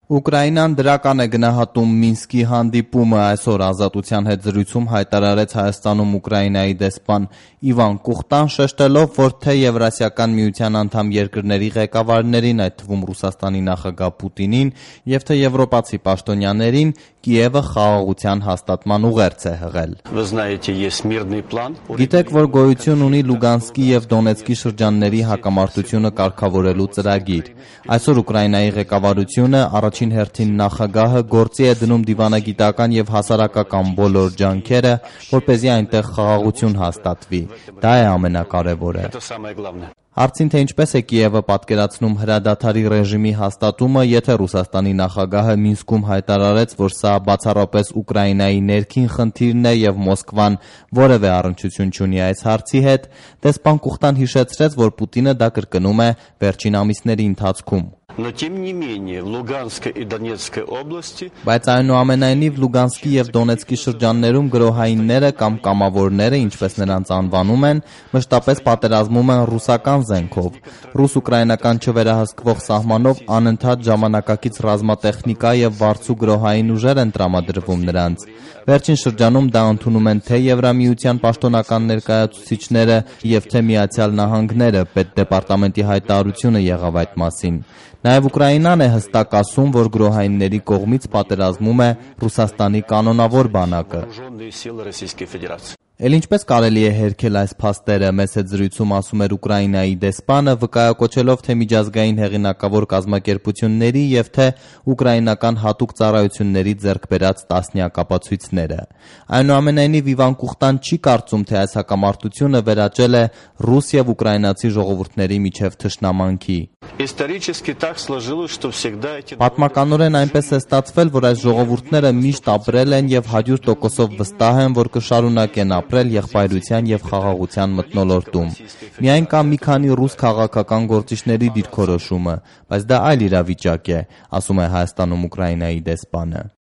Ուկրաինան դրական է գնահատում Մինսկի հանդիպումը, այսօր Ազատության հետ զրույցում հայտարարեց Հայաստանում Ուկրաինայի դեսպան Իվան Կուխտան, շեշտելով, որ թե Եվրասիական միության անդամ երկրների ղեկավարներին, այդ թվում Ռուսաստանի նախագահ Պուտինին, եւ թե եվրոպացի պաշտոնյաներին, Կիևը խաղաղության հաստատման ուղերձ է հղել։ Գիտեք, որ գոյություն ունի Լուգանսկի եւ Դոնեցկի շրջանների հակամարտությունը կարգավորելու ծրագիր։ Այսօր Ուկրաինայի ղեկավարությունը առաջին հերթին նախագահը գործի է դնում դիվանագիտական եւ հասարակական բոլոր ջանքերը, որպեսզի այնտեղ խաղաղություն հաստատվի։ Դա է ամենակարևորը։ Հարցին, թե ինչպես է Կիևը պատկերացնում հրադադարի ռեժիմի հաստատումը, եթե Ռուսաստանի նախագահը Մինսկում հայտարարեց, որ սա բացառապես Ուկրաինայի ներքին խնդիրն է եւ Մոսկվան որևէ առնչություն չունի այս հարցի հետ, դեսպան Կուխտան հիշեցրեց, որ Պուտինը դա կրկնում է վերջին ամիսների ընթացքում։ Բայց այնուամենայնիվ Լուգանսկի եւ Դոնեցկի շրջաններում գրոհայինները կամ կամավորները, ինչպես նրանց անվանում են, մշտապես պատերազմում են ռուսական զենքով։ Ռուս-ուկրաինական չվերահսկվող սահմանով անընդհատ ժամանակակից ռազմատեխնիկա եւ վարձու գրոհային ուժեր են տրամադրվում նրանց։ Վերջին շրջանում դա ընդունում են թե Եվրամիության պաշտոնական ներկայացուցիչները եւ թե Միացյալ Նահանգները, Պետդեպարտամենտի հայտարարությունը եղավ այդ մասին։ Նաև Ուկրաինան է հստակ ասում, որ գրոհայինների կողմից պատերազմում է Ռուսաստանի կանոնավոր բանակը։ Էլ ինչպես կարելի է հերքել այս փաստերը, մեծ հետ զրույցում ասում էր Ուկրաինայի դեսպանը, վկայակոչելով թե միջազգային հեղինակավոր կազմակերպությունների եւ թե ուկրաինական հատուկ ծառայությունների ձեռք բերած տասնյակ ապացույցները։ Այնուամենայնիվ Իվան Կուխտան չի կարծում, թե այս հակամարտությունը վերաճել է ռուս եւ ուկրաինացի ժողովուրդների միջև թշնամանքի։ Պատմականորեն այնպես է ստացվել, որ այս ժողովուրդները միշտ ապրել են եւ 100%-ով վստահ են, որ կշարունակեն ապրել եղբայրության եւ խաղաղության մթնոլորտում։ Միայն կա մի քանի ռուս քաղաքական գործիչների դիրքորոշումը, բայց դա այլ իրավիճակ է, ասում է Հայաստանում Ուկրաինայի դեսպանը։